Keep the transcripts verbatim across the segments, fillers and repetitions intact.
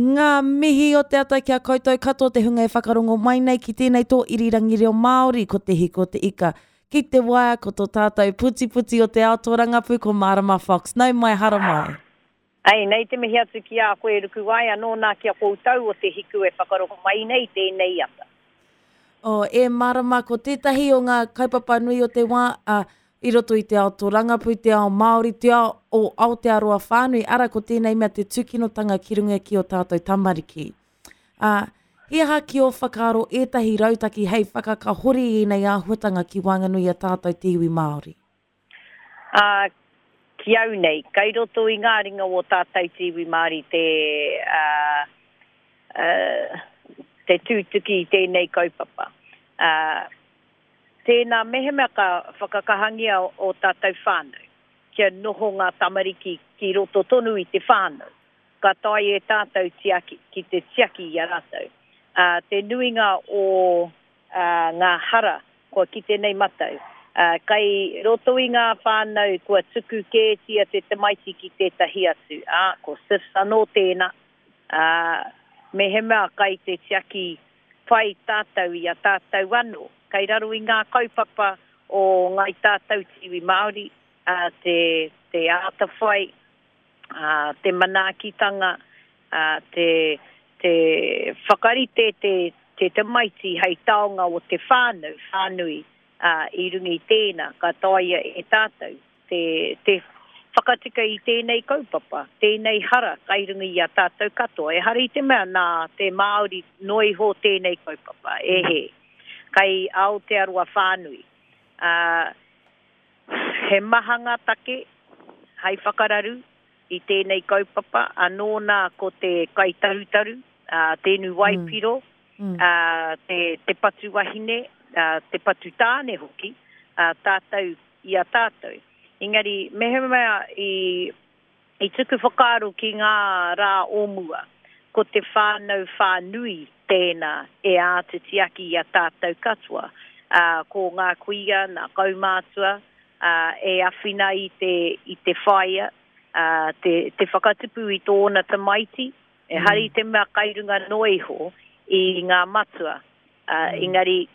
Ngā mihi o te ata ki a koutou katoa te hunga e whakarongo mai nei ki tēnei tō irirangi reo Māori, ko Te Hiko te Ika. Ki te waea ko tō tātou putiputi o te ao tōrangapū ko Marama Fox. Nau mai, hara mai. Ai, nei te mihi atu ki a koe Rukuwai, anō nā ki a koutou o Te Hiku e whakarongo mai nei tēnei ata. Oh, e Marama, ko tētahi o ngā kaupapa nui o te wā, a, i roto i te ao tōrangapū, te ao Māori, te ao o Aotearoa whānui, ara ko tēnei mea te tūkinotanga ki runga ki o tātou tamariki. Ā, he aha ki ō whakaaro ētahi rautaki hei whakakahori i ēnei āhuatanga ki waenganui i a tātou te iwi Māori? Ā, ki au nei, kai roto i ngā ringa o tātou te iwi Māori te, ā, ā, te tūtuki i tēnei kaupapa. Ā, tēnā mehemea ka whakakahangia o tātou whānau, kia noho ngā tamariki ki roto tonu i te whānau, ka tae e tātou tiaki, ki te tiaki i a rātou. Ā, te nuinga o ā, ngā hara kua kite nei matau, ā, kai roto i ngā whānau kua tuku kētia te tamaiti ki tētahi atu, ā, ko SIFS anō tēnā, ā, mehemea kai te tiaki pai tātou i a tātou anō, kai raro i ngā kaupapa o ngai tātou te iwi Māori, ā, te, te ātawhai, ā, te manaakitanga, ā, te, te whakarite te, te tamaiti hei taonga o te whānau whānui, ā, i runga i tēnā, ka taea e tātou te, te whakatika i tēnei kaupapa, tēnei hara kai runga i a tātou katoa. Ehara i te mea nā te Māori noa iho tēnei kaupapa, e he, kai Aotearoa whānui. Ā, he maha ngā take hai whakararu i tēnei kaupapa, anō nā ko te kaitarutaru, ā, te inu waipiro, Mm. ā, te, te patu wahine, ā, te patu tāne hoki, ā, tātou i a tātou. Engari, mehemea i, i tuku whakaaro ki ngā rā o mua, ko te whānau whānui tēnā e āta tiaki i a tātou katoa. Ā, ko ngā kuia, ngā kaumātua, ā, e awhina i te, i te whaea, ā, te, te whakatupu i tōna tamaiti, ehara i te mea kai runga noa iho i ngā matua. Ā, engari,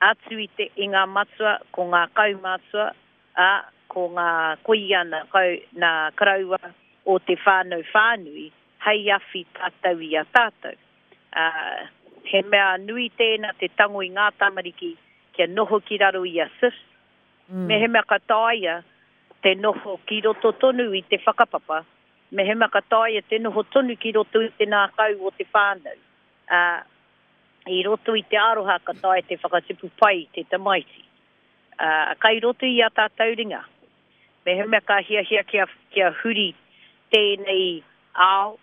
atu i, te, i ngā matua, ko ngā kaumātua, ā, ko ngā kuia, nā, kau, nā karaua o te whānau whānui, hei awhi tātou i a tātou. Ā, he mea nui tēnā te tango i ngā tamariki kia noho ki raro i a SIFS. Mm. Mehemea ka taea te noho ki roto tonu i te whakapapa, mehemea ka taea te noho tonu ki roto i te ngākau o te whānau. Ā, i roto i te aroha ka taea te whakatupu pai te tamaiti. Ā, kai roto i a tātou ringa. Mehemea ka hiahia kia, kia huri tēnei ao,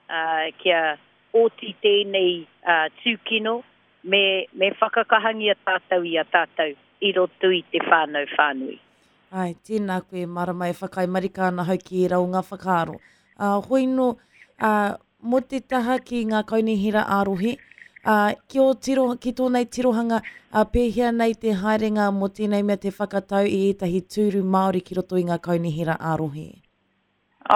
ā, kia oti tēnei ā, tūkino, me, me whakakahangia tātou i a tātou i roto i te whānau whānui. Ai, tēnā koe, Marama, e whakaae marika ana hau ki ērā o ngā whakaaro. Ā, hoi nō, ā, mō te taha ki ngā kaunihera ā-rohe, ā, ki, ō tiro, ki tōnei tirohanga, ā, pēhea nei te haerenga mō tēnei mea te whakatau i ētahi tūru Māori ki roto i ngā kaunihera ā-rohe?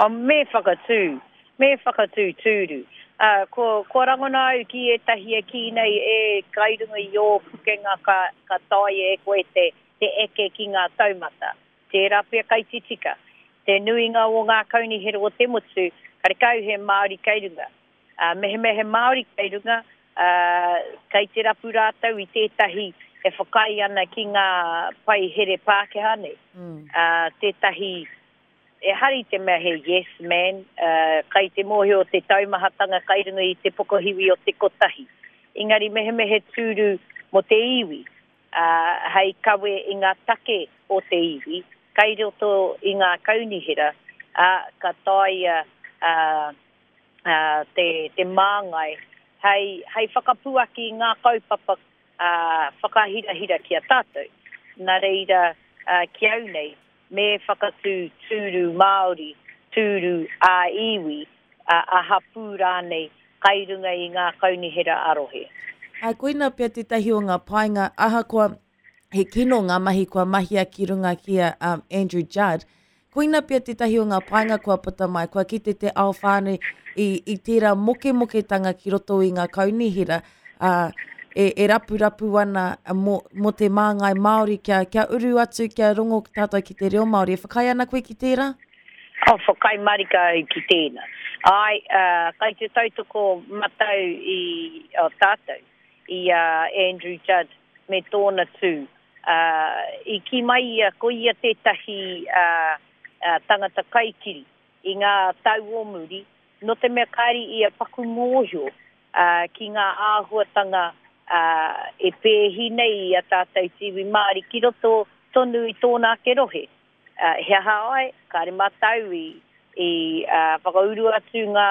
Oh, me whakatū, me whakatū tūru. Ā, ko, ko rangona au ki ētahi e kī nei e kai runga i ō pukenga ka, ka taea e koe te, te eke ki ngā taumata. Tērā pea kai titika. Te nuinga o ngā kaunihera o te motu, karekau he Māori kei runga. Ā, mehemea he Māori kei runga, ā, kei te rapu rātou i tētahi e whakaae ana ki ngā pai here Pākehā nei. Mm. Ā, tētahi, ehara i te mea he yes man, ā, kai te mōhio te taumahatanga kai runga i te pokohiwi o te kotahi. Engari mehemea he tūru mō te iwi, ā, hei kawe i ngā take o te iwi, kai roto i ngā kaunihera, ā, ka taea, ā, ā, te, te māngai, hei, hei whakapuaki i ngā kaupapa, ā, whakahirahira ki a tātou. Nā reira, ā, ki au nei, me whakatū tūru Māori, tūru ā-iwi, ā, a hapū rānei, kai runga i ngā kaunihera ā-rohe. Ā, koina pea tētahi o ngā painga, ahakoa he kino ngā mahi kua mahia ki runga ki a, um, Andrew Judd, Koina pia tētahi o ngā painga kua puta mai, kua kite te ao whānui i, i tērā mokemoketanga ki roto i ngā kaunihera, uh, e, e rapurapu ana mō, mō te māngai Māori kia, kia uru atu, kia rongo tātou ki te reo Māori. E whakaae ana koe ki tērā? Oh, whakaae marika au ki tēnā. Ai, uh, kai te tautoko matau i o tātou, i uh, Andrew Judd me tōna tū. Uh, i ki mai ia, ko ia tētahi uh, uh, tangata kaikiri i ngā tau o muri, no te mea kāri ia paku mōhio uh, ki ngā āhuatanga uh, e pēhi nei i a tātou te iwi Māori ki roto tonu i tōna ake rohe. Uh, he aha ai, kāre mātau i, i uh, whakauru atu ngā,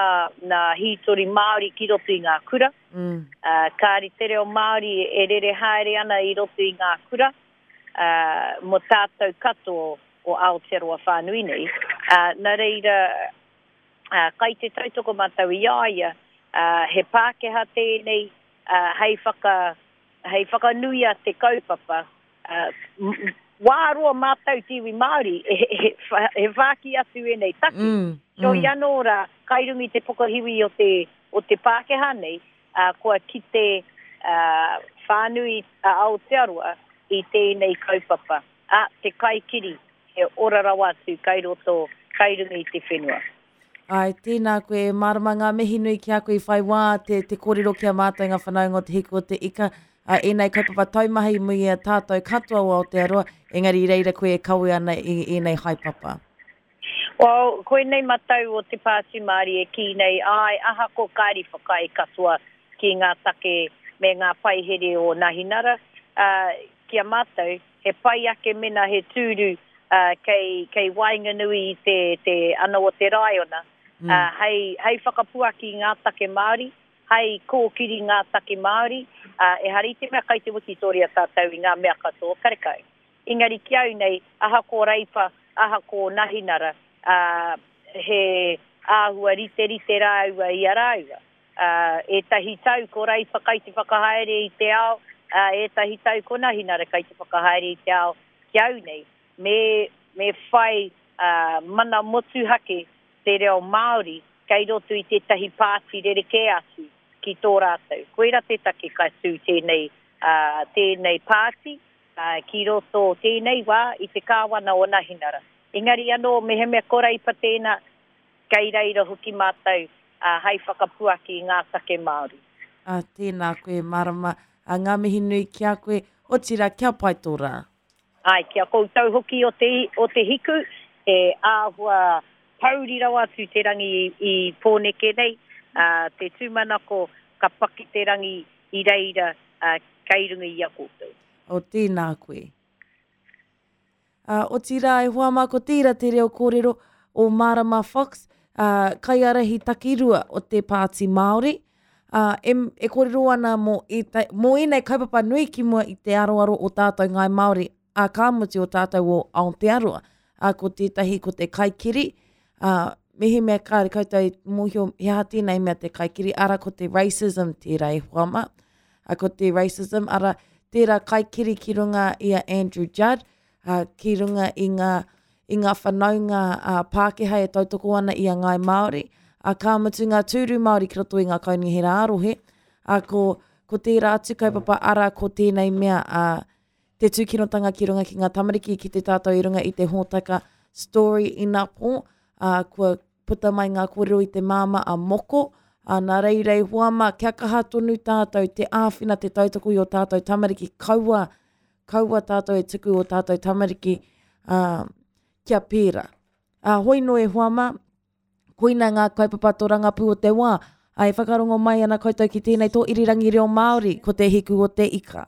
ngā hītori Māori ki roto i ngā kura. Mm. Uh, kāri te reo Māori e rere haere ana i roto i ngā kura, uh, mō tātou katoa o Aotearoa whānui nei. Uh, nā reira, uh, kai te tautoko mātou i a ia, uh, he Pākehā tēnei, uh, hei, whaka, hei whakanuia te kaupapa. Uh, m- wā roa mātou te iwi Māori, e, e, e whāki atu ēnei take. Mm. So mm. i anō rā, kai runga i te pokohiwi o te, o te Pākehā nei, uh, kua kite uh, whānui a Aotearoa i tēnei kaupapa. A, te kaikiri, he ora rawa atu kai roto, kai runga i te whenua. Ai, tēnā koe, e mārama ngā mihi nui ki a koe i whai wā te, te kōrero ki a mātou ngā whanaunga o te hiku o te ika. Uh, ēnei kaupapa taumahi mui a tātou katoa o Aotearoa, engari i reira koe e kawe ana i ēnei haepapa. Well, koinei matau o te Pāti Māori e kī nei, ai, ahako kāri whakaae katoa ki ngā take me ngā paihere o Nahinara, uh, ki a mātou, he pai ake mena he tūru uh, kei, kei waenganui i te, te ana o te raiona, Mm. uh, hei, hei whakapuaki ngā take Māori, hei kōkiri ngā take Māori, uh, e hari te mea kai te wikitoria tātou i ngā mea katoa, karekau. Engari ki au nei, ahako Reipa, ahako Nahinara, uh, he āhua rite rite rāua i a rāua. Uh, ētahi tau ko Reipa kai te whakahaere i te ao, uh, ētahi tau ko Nahinara kai te whakahaere i te ao ki au nei. Me, me whai uh, mana motuhake te reo Māori kei roto i tētahi pāti rerekē atu ki tō rātou. Koira te take ka tū tēnei, uh, tēnei pāti uh, ki roto tēnei wā i te kāwana o Nahinara. Engari anō, mehemea ko Reipa tēnā, kei reira hoki mātou uh, hei whakapuaki i ngā take Māori. Uh, tēnā koe, mārama, uh, ngā mihi nui ki a koe, otira kia pai tō rā. Ai, kia koutou hoki o te, o te hiku, e āhua pauri rawa atu te rangi i, i Pōneke nei, uh, te tūmanako ka paki te rangi i reira uh, kei runga i a koutou. O tēnā koe. Uh, otira e hoa mā ko tērā te reo kōrero o Marama Fox, uh, kaiārahi takirua o te Pāti Māori. Uh, e, e kōrero ana mō, ēta, mō ēnei kaupapa nui ki mua i te aroaro o tātou ngāi Māori, a ka mutu o tātou o Aotearoa. Uh, ko tētahi ko te kaikiri, uh, mehemea kāre koutou i mōhio he aha tēnei mea te kaikiri, ara ko te racism tērā e hoa mā. Uh, ko te racism, ara tērā kaikiri ki runga i a Andrew Judd, uh, ki runga i ngā, i ngā whanaunga uh, Pākehā e tautoko ana i a Ngāi Māori, uh, ka mutu ngā tūru Māori ki roto i ngā kaunihera ā-rohe, uh, ko, ko tērā atu kaupapa ara ko tēnei mea uh, te tūkinotanga ki runga ki ngā tamariki ki te tātou i runga i te hōtaka Story Inapō, uh, kua puta mai ngā kōrero i te māma a Moko, uh, nā reira e hoa mā, kia kaha tonu tātou, te āwhina te tautoko i o tātou tamariki, kaua, kaua tātou e tuku o tātou tamariki uh, kia pērā. Uh, hoi no e hoa mā, koina ngā kaupapa tōrangapū o te wā, ai whakarongo mai ana koutou ki tēnei tō irirangi reo Māori, ko te hiku o te ika.